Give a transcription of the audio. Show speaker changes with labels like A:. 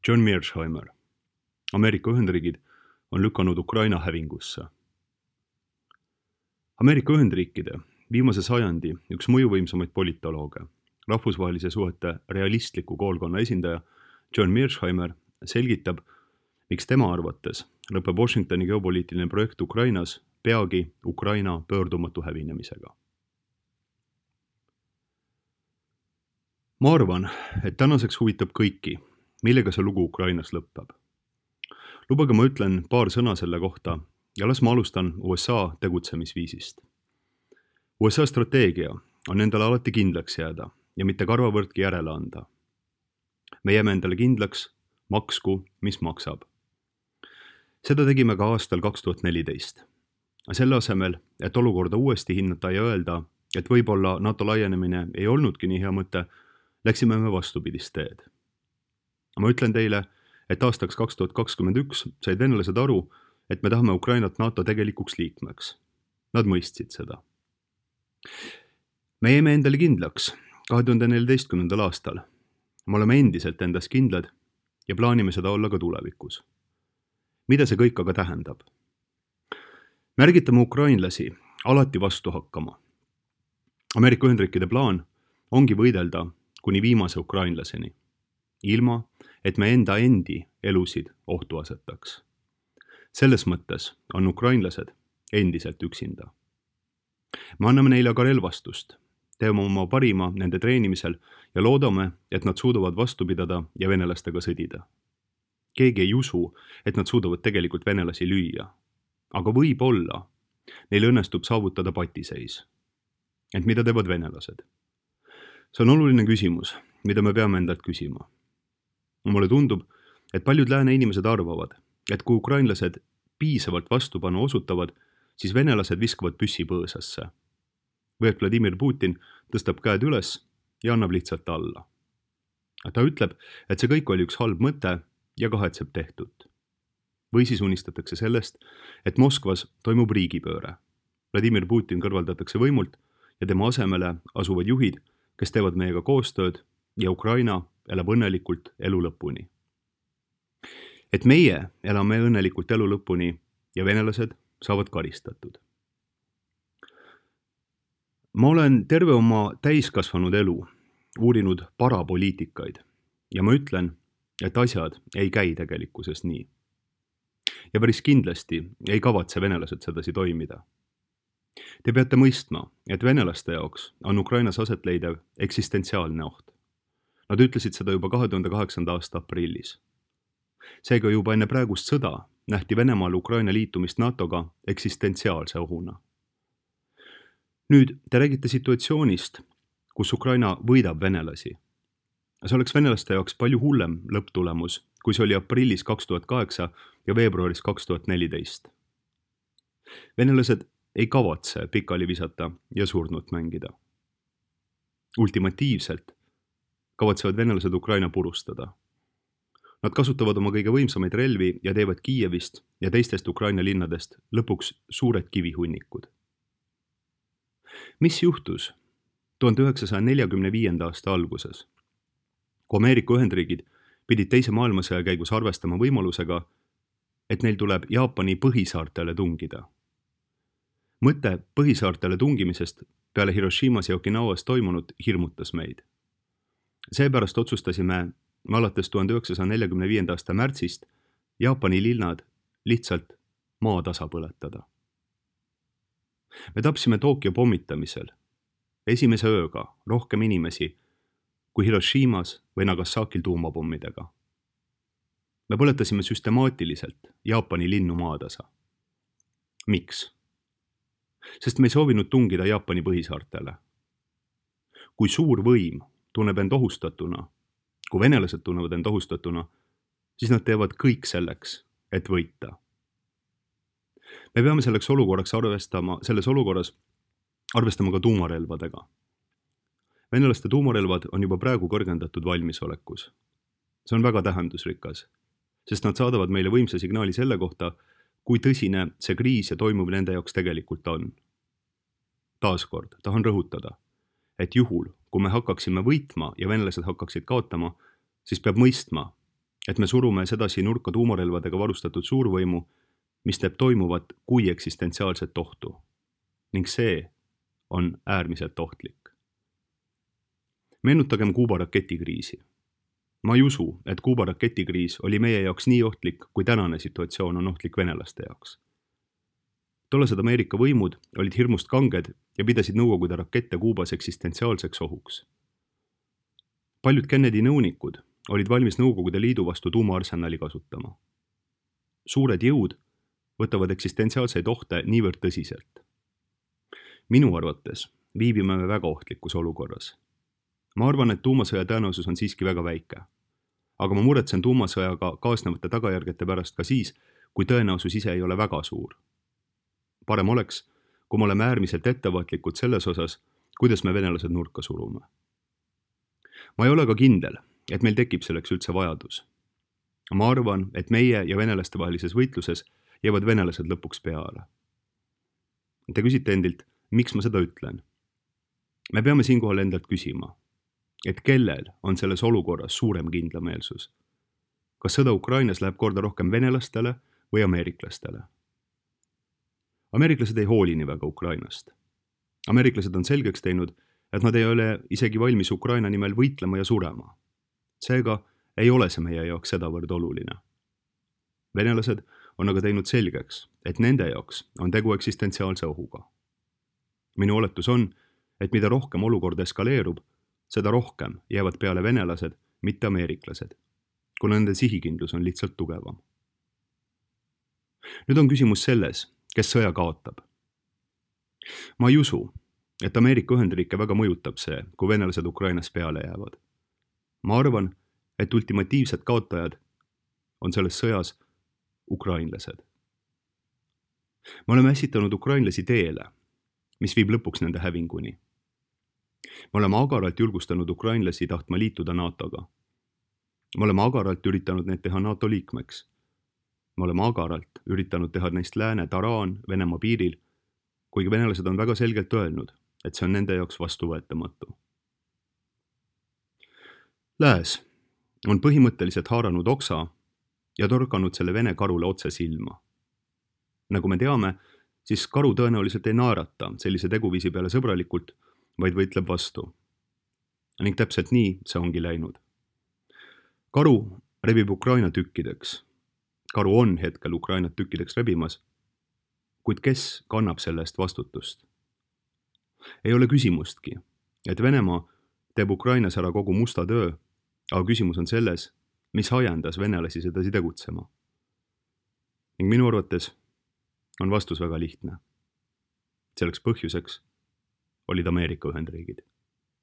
A: John Mearsheimer. Ameerika Ühendriigid on lükanud Ukraina hävingusse. Ameerika Ühendriikide viimase sajandi üks mõjuvõimsamaid politolooge, rahvusvahelise suhete realistliku koolkonna esindaja John Mearsheimer selgitab, miks tema arvates lõpeb Washingtoni geopoliitiline projekt Ukrainas peagi Ukraina pöördumatu hävinemisega. Ma arvan, et tänaseks huvitab kõiki, millega see lugu Ukrainas lõpeb. Lubage ma ütlen paar sõna selle kohta ja las ma alustan USA tegutsemisviisist. USA strateegia on endale alati kindlaks jääda ja mitte karvavõrdki järele anda. Me jääme endale kindlaks, maksku, mis maksab. Seda tegime ka aastal 2014. Selle asemel, et olukorda uuesti hinnata ja öelda, et võib-olla NATO laienemine ei olnudki nii hea mõte, läksime me vastupidist teed. Ma ütlen teile, et aastaks 2021 said venelased aru, et me tahame Ukrainat NATO tegelikuks liikmeks. Nad mõistsid seda. Me jäime endale kindlaks 2014. aastal. Me oleme endiselt endas kindlad ja plaanime seda olla ka tulevikus. Mida see kõik aga tähendab? Me ärgitame ukrainlasi alati vastu hakkama. Ameerika Ühendriikide plaan ongi võidelda kuni viimase ukrainlaseni, ilma et me enda elusid ohtu asetaks. Selles mõttes on ukrainlased endiselt üksinda. Me anname neile aga relvastust, teeme oma parima nende treenimisel ja loodame, et nad suudavad vastu pidada ja venelastega sõdida. Keegi ei usu, et nad suudavad tegelikult venelasi lüüa, aga võib-olla neil õnnestub saavutada patiseis. Ent mida teevad venelased? See on oluline küsimus, mida me peame endalt küsima. Mulle tundub, et paljud lääne inimesed arvavad, et kui ukrainlased piisavalt vastupanu osutavad, siis venelased viskavad püssi põõsasse. Või et Vladimir Putin tõstab käed üles ja annab lihtsalt alla. Ta ütleb, et see kõik oli üks halb mõte ja kahetseb tehtut. Või siis unistatakse sellest, et Moskvas toimub riigipööre. Vladimir Putin kõrvaldatakse võimult ja tema asemele asuvad juhid, kes teevad meiega koostööd ja Ukraina elab õnnelikult elu lõpuni. Et meie elame õnnelikult elu lõpuni ja venelased saavad karistatud. Ma olen terve oma täiskasvanud elu uurinud parapoliitikaid ja ma ütlen, et asjad ei käi tegelikkuses nii. Ja päris kindlasti ei kavatse venelased sedasi toimida. Te peate mõistma, et venelaste jaoks on Ukrainas aset leidev eksistentsiaalne oht. Nad ütlesid seda juba 2008. aasta aprillis. Seega juba enne praegust sõda nähti Venemaal Ukraina liitumist NATOga eksistentsiaalse ohuna. Nüüd te räägite situatsioonist, kus Ukraina võidab venelasi. See oleks venelaste jaoks palju hullem lõpptulemus, kui see oli aprillis 2008 ja veebruaris 2014. Venelased ei kavatse pikali visata ja surnut mängida. Ultimatiivselt kavatsevad venelased Ukraina purustada. Nad kasutavad oma kõige võimsamaid relvi ja teevad Kiievist ja teistest Ukraina linnadest lõpuks suured kivihunnikud. Mis juhtus 1945. aasta alguses, kui Ameerika Ühendriigid pidid teise maailmasõja käigus arvestama võimalusega, et neil tuleb Jaapani põhisaartele tungida? Mõte põhisaartele tungimisest peale Hiroshimas ja Okinawas toimunut hirmutas meid. Seepärast otsustasime alates 1945. aasta märtsist Jaapani linnad lihtsalt maatasa põletada. Me tapsime Tokyo pommitamisel esimese ööga rohkem inimesi kui Hiroshimas või Nagasakil tuumapommidega. Me põletasime süstemaatiliselt Jaapani linnu maatasa. Miks? Sest me ei soovinud tungida Jaapani põhisaartele. Kui suur võim tunneb end ohustatuna, kui venelased tunnevad end ohustatuna, siis nad teevad kõik selleks, et võita. Me peame selles olukorras arvestama ka tuumarelvadega. Venelaste tuumarelvad on juba praegu kõrgendatud valmisolekus. See on väga tähendusrikas, sest nad saadavad meile võimsa signaali selle kohta, kui tõsine see kriis ja toimuv nende jaoks tegelikult on. Taaskord tahan rõhutada, et juhul, kui me hakkaksime võitma ja venelased hakkaksid kaotama, siis peab mõistma, et me surume sedasi nurka tuumarelvadega varustatud suurvõimu, mis teeb toimuvat kui eksistentsiaalset ohtu. Ning see on äärmiselt ohtlik. Meenutagem Kuuba raketikriisi. Ma ei usu, et Kuuba raketikriis oli meie jaoks nii ohtlik, kui tänane situatsioon on ohtlik venelaste jaoks. Tollased Ameerika võimud olid hirmust kanged ja pidasid Nõukogude rakette Kuubas eksistentsiaalseks ohuks. Paljud Kennedy nõunikud olid valmis Nõukogude Liidu vastu tuumaarsenali kasutama. Suured jõud võtavad eksistentsiaalseid ohte niivõrd tõsiselt. Minu arvates viibime me väga ohtlikus olukorras. Ma arvan, et tuumasõja tõenäosus on siiski väga väike. Aga ma muretsen tuumasõjaga kaasnevate tagajärgete pärast ka siis, kui tõenäosus ise ei ole väga suur. Parem oleks, kui me oleme äärmiselt ettevaatlikud selles osas, kuidas me venelased nurka surume. Ma ei ole ka kindel, et meil tekib selleks üldse vajadus. Ma arvan, et meie ja venelaste vahelises võitluses jäävad venelased lõpuks peale. Te küsite endilt, miks ma seda ütlen? Me peame siinkohal endalt küsima, et kellel on selles olukorras suurem kindlameelsus? Kas sõda Ukrainas läheb korda rohkem venelastele või ameeriklastele? Ameeriklased ei hooli nii väga Ukrainast. Ameeriklased on selgeks teinud, et nad ei ole isegi valmis Ukraina nimel võitlema ja surema. Seega ei ole see meie jaoks sedavõrd oluline. Venelased on aga teinud selgeks, et nende jaoks on tegu eksistentsiaalse ohuga. Minu oletus on, et mida rohkem olukord eskaleerub, seda rohkem jäävad peale venelased, mitte ameeriklased, kuna nende sihikindlus on lihtsalt tugevam. Nüüd on küsimus selles, kes sõja kaotab. Ma ei usu, et Ameerika Ühendriike väga mõjutab see, kui venelased Ukrainas peale jäävad. Ma arvan, et ultimatiivsed kaotajad on selles sõjas ukrainlased. Me oleme ässitanud ukrainlasi teele, mis viib lõpuks nende hävinguni. Me oleme agaralt julgustanud ukrainlasi tahtma liituda NATO-ga. Me oleme agaralt üritanud neid teha NATO liikmeks. Me oleme agaralt üritanud teha neist lääne taraan Venemaa piiril, kuigi venelased on väga selgelt öelnud, et see on nende jaoks vastuvõetamatu. Lääs on põhimõtteliselt haaranud oksa ja torkanud selle Vene karule otse silma. Nagu me teame, siis karu tõenäoliselt ei naerata sellise teguviisi peale sõbralikult, vaid võitleb vastu. Ning täpselt nii see ongi läinud. Karu rebib Ukraina tükkideks. Karu on hetkel Ukrainat tükkideks rebimas, kuid kes kannab selle eest vastutust? Ei ole küsimustki, et Venemaa teeb Ukrainas ära kogu musta töö, aga küsimus on selles, mis ajendas venelasi sedasi tegutsema. Ning minu arvates on vastus väga lihtne. Selleks põhjuseks olid Ameerika Ühendriigid.